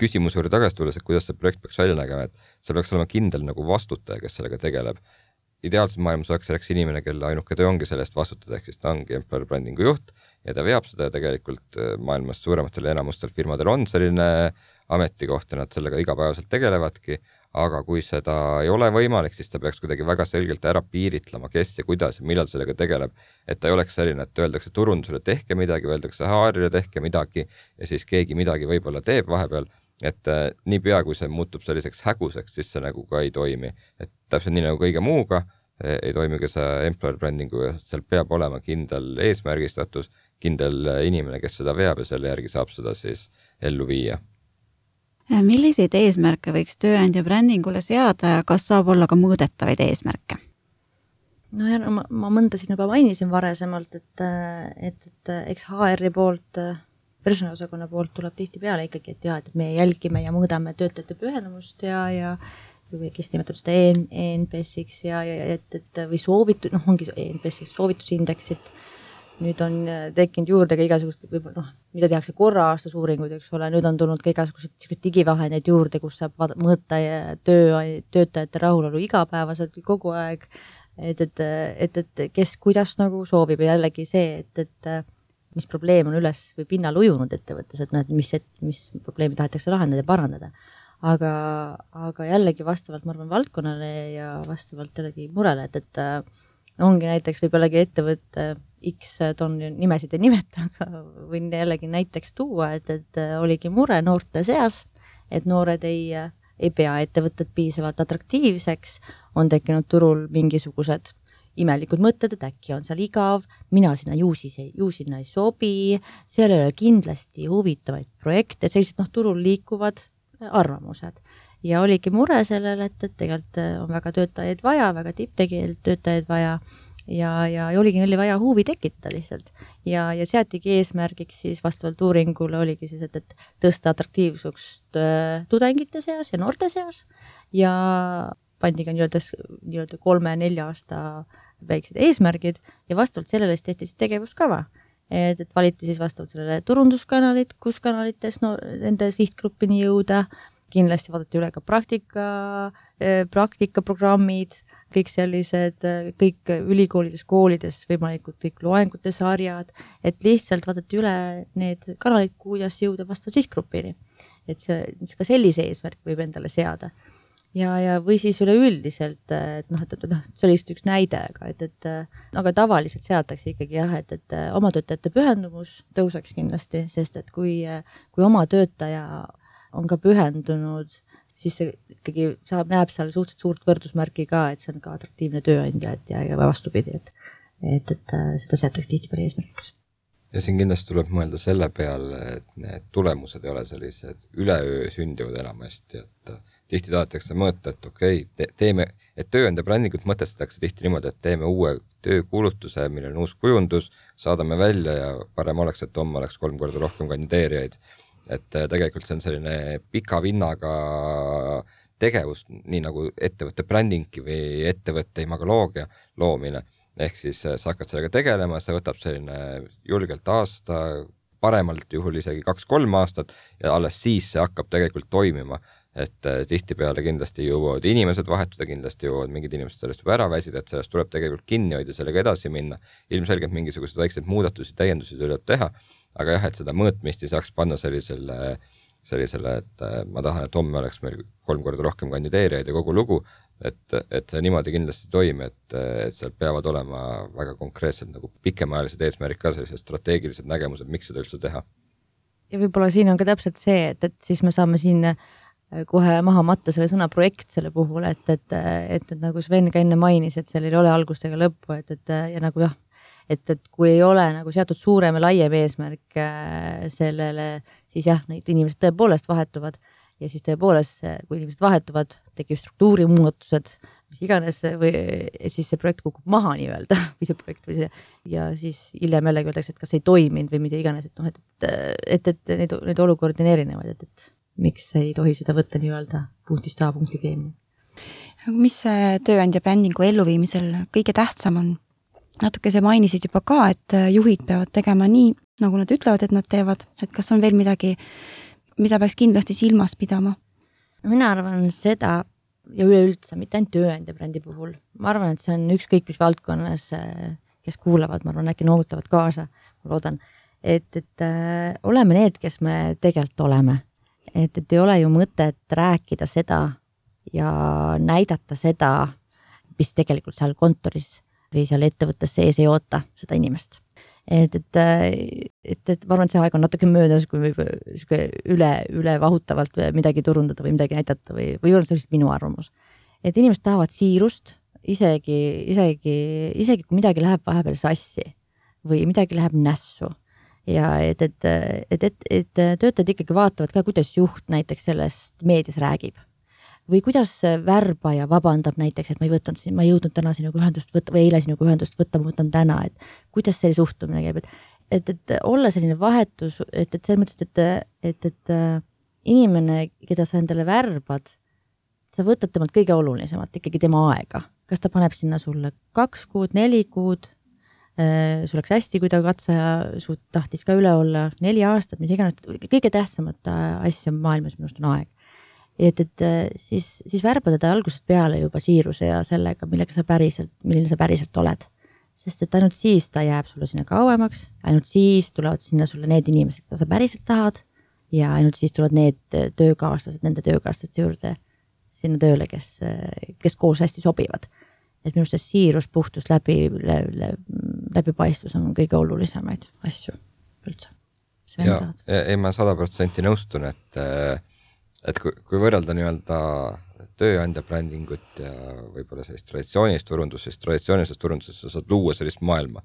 küsimuse juurde tagasi tulles, et kuidas see projekt peaks välja nägema, et see peaks olema kindel nagu vastutaja, kes sellega tegeleb. Ideaalses maailmas oleks selleks inimene, kelle ainuke töö ongi sellest vastutada, ehk siis ta ongi employer brandingu juht ja ta veab seda ja tegelikult maailmas suurematel ja enamustel firmadel on selline ametikoht ja nad sellega igapäevaselt tegelevadki, aga kui seda ei ole võimalik, siis ta peaks kuidagi väga selgelt ära piiritlema, kes ja kuidas ja millal sellega tegeleb, et ta ei oleks selline, et öeldakse turundusele tehke midagi, öeldakse H R-ile tehke midagi ja siis keegi midagi võib-olla teeb vahepeal, et äh, nii pea, kui see muutub selliseks häguseks, siis see nagu ka ei toimi. Et täpselt nii nagu kõige muuga ei toimi ka see employer brandingu ja seal peab olema kindel eesmärgistatus, kindel inimene, kes seda veab ja selle järgi saab seda siis ellu viia. Milliseid eesmärke võiks tööandja brändingule seada ja kas saab olla ka mõõdetavaid eesmärke? No ja ma, ma mõnda siin juba mainisin varasemalt, et, et, et eks H R-i poolt personaliosakonna poolt tuleb tihti peale ikkagi, et jah, et me jälgime ja mõõdame töötajate pühendumust ja, ja või kes nimetab seda E N P S-iks ja, ja et, et või soovitu, noh, ongi E N P S-iks soovitusindeksit. Nüüd on tekkinud juurde ka igasugust, võib-olla noh, mida tehakse korra aastas uuringuid, eks ole, nüüd on tulnud ka igasugused digivahendeid juurde, kus saab mõõta töö, töötajate rahulolu igapäevaselt kogu aeg, et, et, et, et kes kuidas nagu soovib ja jällegi see, et, et mis probleem on üles või pinnal ujunud ettevõttes, et näed, mis, et, mis probleemi tahetakse lahendada ja parandada. Aga, aga jällegi vastavalt, ma arvan, valdkonnale ja vastavalt jällegi murele, et, et ongi näiteks võib-olla ettevõtte X, toon nimesid ei nimeta, aga võin jällegi näiteks tuua, et, et oligi mure noorte seas, et noored ei, ei pea ettevõtted piisavalt atraktiivseks, on tekkinud turul mingisugused imelikud mõtted, et äkki on seal igav, mina sinna ju, siis ei, ju sinna ei sobi, seal ei ole kindlasti huvitavaid projekte, sellised noh, turul liikuvad arvamused. Ja oligi mure sellele, et, et tegelikult on väga töötajaid vaja, väga tipptegijaid töötajaid vaja ja, ja, ja oligi neile vaja huvi tekitada lihtsalt. Ja, ja seatigi eesmärgiks siis vastavalt uuringule oligi siis, et, et tõsta atraktiivsust äh, tudengite seas ja noorte seas ja pandi ka nii-öelda, nii-öelda kolme-nelja aasta väiksed eesmärgid ja vastavalt sellele tehti siis tegevuskava. Et, et valiti siis vastavalt sellele turunduskanalit, kus kanalites no, nende sihtgruppini jõuda, kindlasti vaadati üle ka praktika, praktikaprogrammid, kõik sellised, kõik ülikoolides, koolides, võimalikud kõik loengute sarjad, et lihtsalt vaadati üle need kanalid, kuidas jõuda vastavalt sihtgrupini. Et see, ka sellise eesmärk võib endale seada. Ja, ja või siis üleüldiselt, et noh, et, et noh, see oli üks näide, aga, et, et aga tavaliselt seatakse ikkagi jah, et, et oma töötajate pühendumus tõuseks kindlasti, sest et kui, kui oma töötaja on ka pühendunud, siis see ikkagi saab, näeb seal suhteliselt suurt võrdusmärki ka, et see on ka atraktiivne tööandja, et ja, ja vastupidi, et, et, et seda seatakse tihti peale eesmärgiks. Ja siin kindlasti tuleb mõelda selle peale, et need tulemused ei ole sellised üleöö sündivad enamasti, et tihti tahetakse mõõta, et okei, okay, teeme, et tööandja brändingut mõtestatakse tihti niimoodi, et teeme uue töökuulutuse, millel on uus kujundus, saadame välja ja parem oleks, et homme oleks kolm korda rohkem kandideerijaid. Et tegelikult see on selline pika vinnaga tegevus, nii nagu ettevõtte brändingi või ettevõtte imagoloogia loomine. Ehk siis sa hakkad sellega tegelema, see võtab selline julgelt aasta, paremalt juhul isegi kaks-kolm aastat ja alles siis see hakkab tegelikult toimima. Et tihtipeale kindlasti jõuavad inimesed vahetuda, kindlasti jõuavad mingid inimesed sellest juba ära väsida, et sellest tuleb tegelikult kinni hoida, sellega edasi minna. Ilmselgelt mingisugused väiksed muudatusi, täiendusi tuleb teha, aga jah, et seda mõõtmist ei saaks panna sellisele, sellisele, et ma tahan, et homme oleks meil kolm korda rohkem kandideerijaid ja kogu lugu, et, et see niimoodi kindlasti toimi, et, et seal peavad olema väga konkreetsed nagu pikemaajalised eesmärgid ka, sellised strateegilised nägemused, miks seda üldse teha. Ja võib-olla siin on ka täpselt see, et, et siis me saame siin kohe maha matta selle sõna projekt selle puhul, et, et, et, et nagu Sven ka enne mainis, et seal ei ole algust ega lõppu, et, et ja nagu jah, et, et kui ei ole nagu seatud suurem ja laiem eesmärk sellele, siis jah, neid inimesed tõepoolest vahetuvad ja siis tõepoolest, kui inimesed vahetuvad, tekib struktuuri muudatused, mis iganes, või siis see projekt kukub maha nii-öelda või see projekt või see, ja siis hiljem jällegi öeldakse, et kas ei toiminud või mida iganes, et noh, et, et, et, et neid, neid olukordi on erinevaid, et, et miks ei tohi seda võtta nii-öelda punktist A punkti B. Mis see tööandja brändingu elluviimisel kõige tähtsam on? Natuke see mainisid juba ka, et juhid peavad tegema nii, nagu nad ütlevad, et nad teevad, et kas on veel midagi, mida peaks kindlasti silmas pidama? Mina arvan seda, ja üleüldse, mitte ainult tööandja brändi puhul, ma arvan, et see on ükskõik mis valdkonnas, kes kuulavad, ma arvan, äkki noogutavad kaasa, ma loodan, et, et äh, oleme need, kes me tegelikult oleme. Et, et ei ole ju mõtet rääkida seda ja näidata seda, mis tegelikult seal kontoris või seal ettevõttes sees ei oota seda inimest. Et, et, et, et ma arvan, et see aeg on natuke möödas, kui võib üle, üle vahutavalt midagi turundada või midagi näidata või, või on sellist minu arvamus. Et inimesed tahavad siirust, isegi, isegi, isegi kui midagi läheb vahepeal sassi või midagi läheb nässu. Ja et, et, et, et, et töötajad ikkagi vaatavad ka, kuidas juht näiteks sellest meedias räägib. Või kuidas värbaja vabandab näiteks, et ma ei võtanud, ma ei jõudnud täna sinuga ühendust võtta või eile sinuga ühendust võtta, ma võtan täna, et kuidas see suhtumine käib. Et, et, et olla selline vahetus, et, et selles mõttes, et, et, et inimene, keda sa endale värbad, sa võtad temalt kõige olulisemat, ikkagi tema aega. Kas ta paneb sinna sulle kaks kuud, neli kuud, sul oleks hästi, kui ta katseja su tahtis ka üle olla neli aastat, mis iganes, kõige tähtsamat asja maailmas minust on aeg. Et, et siis, siis värbada ta algusest peale juba siiruse ja sellega, millega sa päriselt, milline sa päriselt oled. Sest et ainult siis ta jääb sulle sinna kauemaks, ainult siis tulevad sinna sulle need inimesed, keda sa päriselt tahad ja ainult siis tulevad need töökaaslased, nende töökaaslased juurde sinna tööle, kes, kes koos hästi sobivad. Et minu see siirus, puhtus, läbi, läbi, läbipaistvus on kõige olulisemaid asju üldse. Ja, ei ma sada protsenti nõustun, et, et kui, kui võrrelda nii-öelda tööandja brändingut ja võib-olla sellist traditsioonilist turundust, siis traditsioonilisest turundusest sa saad luua sellist maailma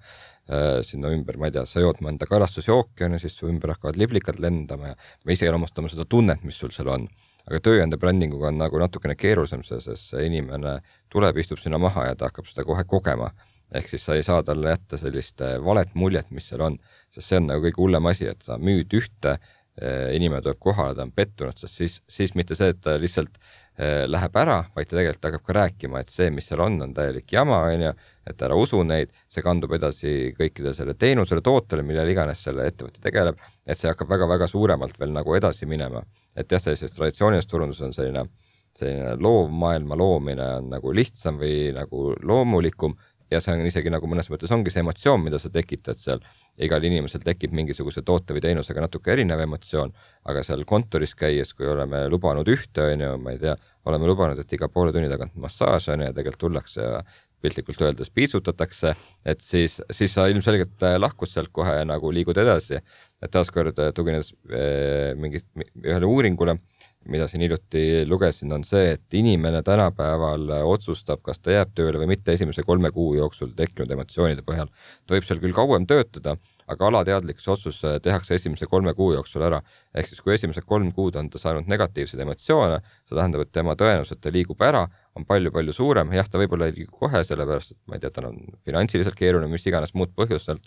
sinna ümber, ma ei tea, sa jood mõnda karastusjooki ja siis su ümber hakkavad liblikad lendama ja me ise elamustame seda tunnet, mis sul seal on. Aga tööandja brändinguga on nagu natukene keerulisem, sest see inimene tuleb, istub sinna maha ja ta hakkab seda kohe kogema. Ehk siis sa ei saa talle jätta sellist valet muljet, mis seal on, sest see on nagu kõige hullem asi, et sa müüd ühte, inimene tuleb kohale, ta on pettunud, sest siis, siis mitte see, et ta lihtsalt läheb ära, vaid ta tegelikult hakkab ka rääkima, et see, mis seal on, on täielik jama, on ju, et ära usu neid, see kandub edasi kõikide selle teenusele, tootele, millele iganes selle ettevõtte tegeleb, et see hakkab väga-väga suuremalt veel nagu edasi minema. Et jah, sellises traditsioonilisest turundus on selline, selline loovmaailma loomine on nagu lihtsam või nagu loomulikum ja see on isegi nagu mõnes mõttes ongi see emotsioon, mida sa tekitad seal. Igal inimesel tekib mingisuguse toote või teenusega natuke erinev emotsioon, aga seal kontoris käies, kui oleme lubanud ühte, on ju, ma ei tea, oleme lubanud, et iga poole tunni tagant massaaž on ja tegelikult tullakse ja piltlikult öeldes piitsutatakse, et siis, siis sa ilmselgelt lahkud sealt kohe nagu liigud edasi. Et taaskord tuginedes mingi, ühele uuringule, mida siin hiljuti lugesin, on see, et inimene tänapäeval otsustab, kas ta jääb tööle või mitte esimese kolme kuu jooksul tekkinud emotsioonide põhjal. Ta võib seal küll kauem töötada, aga alateadlik otsus tehakse esimese kolme kuu jooksul ära. Ehk siis kui esimesed kolm kuud on ta saanud negatiivseid emotsioone, see tähendab, et tema tõenäoliselt ta liigub ära, on palju-palju suurem. Jah, ta võib-olla ei liigu kohe, sellepärast, et ma ei tea, ta on finantsiliselt keeruline, mis iganes muud põhjustel.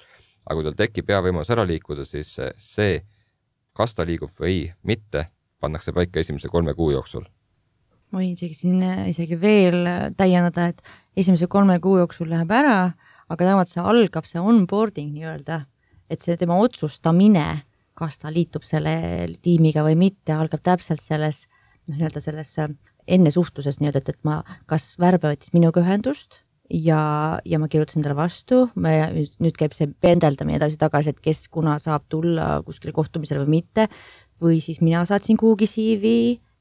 Aga kui tal tekib hea võimalus ära liikuda, siis see, kas ta liigub või mitte, pannakse paika esimese kolme kuu jooksul. Ma võin isegi, siin isegi veel täiendada, et esimese kolme kuu jooksul läheb ära, aga tähendab, see algab see onboarding nii-öelda, et see tema otsustamine, kas ta liitub selle tiimiga või mitte, algab täpselt selles, nii-öelda selles enne suhtluses nii-öelda, et ma kas värbe võttis minuga ühendust ja, ja ma kirjutasin talle vastu, me, nüüd käib see pendeldamine edasi tagasi, et kes kuna saab tulla kuskile kohtumisele või mitte, või siis mina saatsin kuhugi C V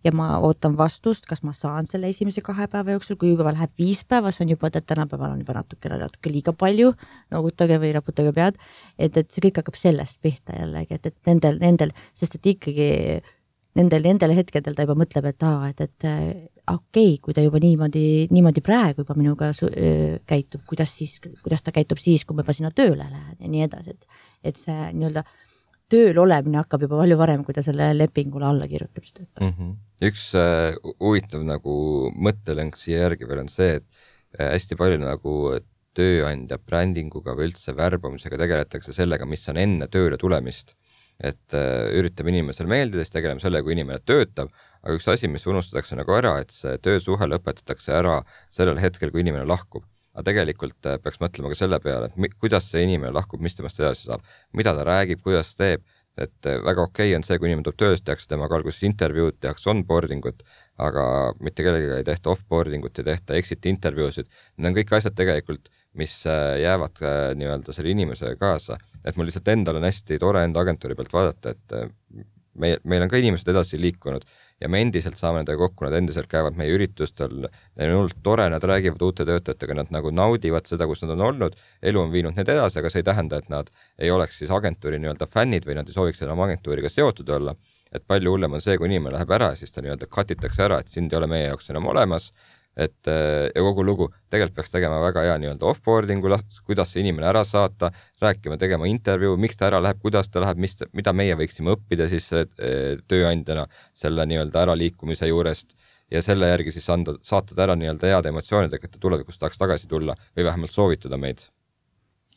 ja ma ootan vastust, kas ma saan selle esimese kahe päeva jooksul, kui juba läheb viis päeva, see on juba, et tänapäeval on juba natuke, natuke liiga palju, noogutage või raputage pead, et, et see kõik hakkab sellest pihta jällegi, et, et nendel, nendel, sest et ikkagi nendel, nendel hetkedel ta juba mõtleb, et aa, et, et okei, okay, kui ta juba niimoodi, niimoodi praegu juba minuga su, öö, käitub, kuidas siis, kuidas ta käitub siis, kui ma juba sinna tööle lähen ja nii edasi, et, et see nii-öelda tööl olemine hakkab juba palju varem, kui ta selle lepingule alla kirjutab. Mm -hmm. Üks äh, huvitav nagu mõttelõng siia järgi veel on see, et äh, hästi palju nagu tööandja brändinguga või üldse värbamisega tegeletakse sellega, mis on enne tööle tulemist. Et äh, üritame inimesel meeldida, siis tegeleme selle, kui inimene töötab, aga üks asi, mis unustatakse nagu ära, et see töösuhe lõpetatakse ära sellel hetkel, kui inimene lahkub. Aga tegelikult peaks mõtlema ka selle peale, et kuidas see inimene lahkub, mis temast edasi saab, mida ta räägib, kuidas teeb, et väga okei on see, kui inimene tuleb tööst, tehakse temaga alguses intervjuud, tehakse onboardingut, aga mitte kellegagi ei tehta offboardingut ja tehta exit intervjuusid. Need on kõik asjad tegelikult, mis jäävad nii-öelda selle inimesega kaasa. Et mul lihtsalt endal on hästi tore enda agentuuri pealt vaadata, et me, meil on ka inimesed edasi liikunud ja me endiselt saame nendega kokku, nad endiselt käivad meie üritustel, neil on olnud tore, nad räägivad uute töötajatega, nad nagu naudivad seda, kus nad on olnud, elu on viinud need edasi, aga see ei tähenda, et nad ei oleks siis agentuuri nii-öelda fännid või nad ei sooviks enam agentuuriga seotud olla, et palju hullem on see, kui inimene läheb ära, siis ta nii-öelda katitakse ära, et sind ei ole meie jaoks enam olemas, et ja kogu lugu tegelikult peaks tegema väga hea nii-öelda offboardingu, kuidas see inimene ära saata, rääkima, tegema intervjuu, miks ta ära läheb, kuidas ta läheb, mis, mida meie võiksime õppida siis tööandjana selle nii-öelda äraliikumise juurest ja selle järgi siis anda, saata ta ära nii-öelda head emotsioonidega, et ta tulevikus tahaks tagasi tulla või vähemalt soovitada meid.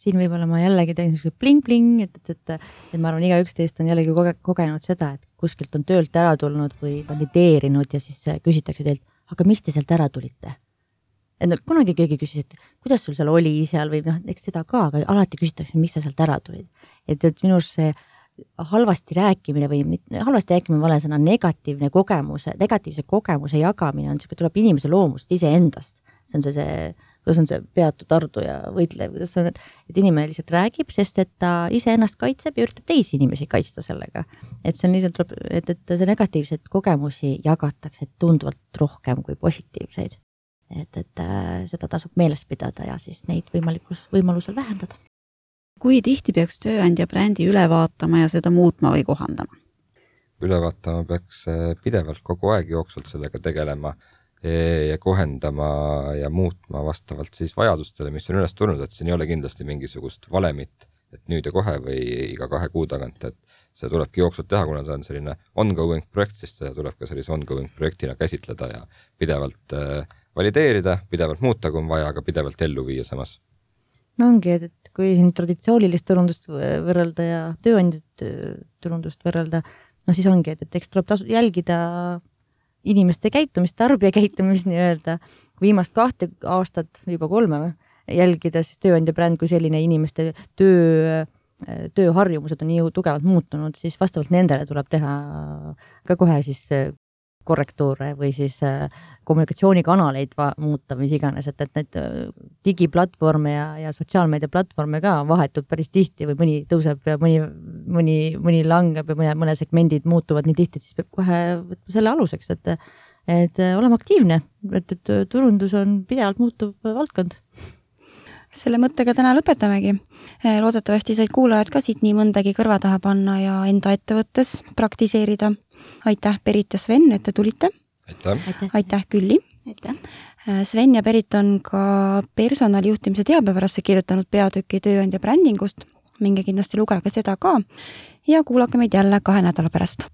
siin võib-olla ma jällegi teen selline pling-pling, et, et, et, et ma arvan, igaüks teist on jällegi koge, kogenud seda, et kuskilt on töölt ära tulnud või kandideerinud ja siis küsitakse teilt, aga mis te sealt ära tulite? Et no, kunagi keegi küsis, et kuidas sul seal oli seal või noh, eks seda ka, aga alati küsitakse, mis sa sealt ära tulid. Et, et minus see halvasti rääkimine või halvasti rääkimine vale sõna negatiivne kogemuse, negatiivse kogemuse jagamine on see, tuleb inimese loomust ise endast. See on see, see, kuidas on see peatu tardu ja võitle, kuidas on, et inimene lihtsalt räägib, sest et ta ise ennast kaitseb ja üritab teisi inimesi kaitsta sellega. Et see on lihtsalt, et, et see negatiivseid kogemusi jagatakse tunduvalt rohkem kui positiivseid. Et, et äh, seda tasub meeles pidada ja siis neid võimalikus, võimalusel vähendada. Kui tihti peaks tööandja brändi üle vaatama ja seda muutma või kohandama? Üle vaatama peaks pidevalt kogu aeg jooksvalt sellega tegelema ja kohendama ja muutma vastavalt siis vajadustele, mis on üles tulnud, et siin ei ole kindlasti mingisugust valemit, et nüüd ja kohe või iga kahe kuu tagant, et see tulebki jooksvalt teha, kuna see on selline ongoing projekt, siis seda tuleb ka sellise ongoing projektina käsitleda ja pidevalt valideerida, pidevalt muuta, kui on vaja, aga pidevalt ellu viia samas. No ongi, et kui siin traditsioonilist turundust võrrelda ja tööandjat turundust võrrelda, no siis ongi, et, et eks tuleb tasu, jälgida inimeste käitumist, tarbija käitumist nii-öelda. Kui viimast kahte aastat, juba kolme jälgida, siis tööandja bränd kui selline inimeste töö, tööharjumused on nii tugevalt muutunud, siis vastavalt nendele tuleb teha ka kohe siis korrektuure või siis kommunikatsioonikanaleid va- muuta, mis iganes, et, et need digiplatvorme ja, ja sotsiaalmeedia platvorme ka vahetub päris tihti või mõni tõuseb ja mõni, mõni, mõni langeb ja mõne, mõne segmendid muutuvad nii tihti, et siis peab kohe võtma selle aluseks, et, et olema aktiivne, et, et turundus on pidevalt muutuv valdkond. Selle mõttega täna lõpetamegi. Loodetavasti said kuulajad ka siit nii mõndagi kõrva taha panna ja enda ettevõttes praktiseerida. Aitäh, Berit ja Sven, et te tulite. Aitäh. Aitäh, Külli. Aitäh. Sven ja Berit on ka personalijuhtimise teabepärasse kirjutanud peatüki tööandja brändingust. Minge kindlasti lugege seda ka ja kuulake meid jälle kahe nädala pärast.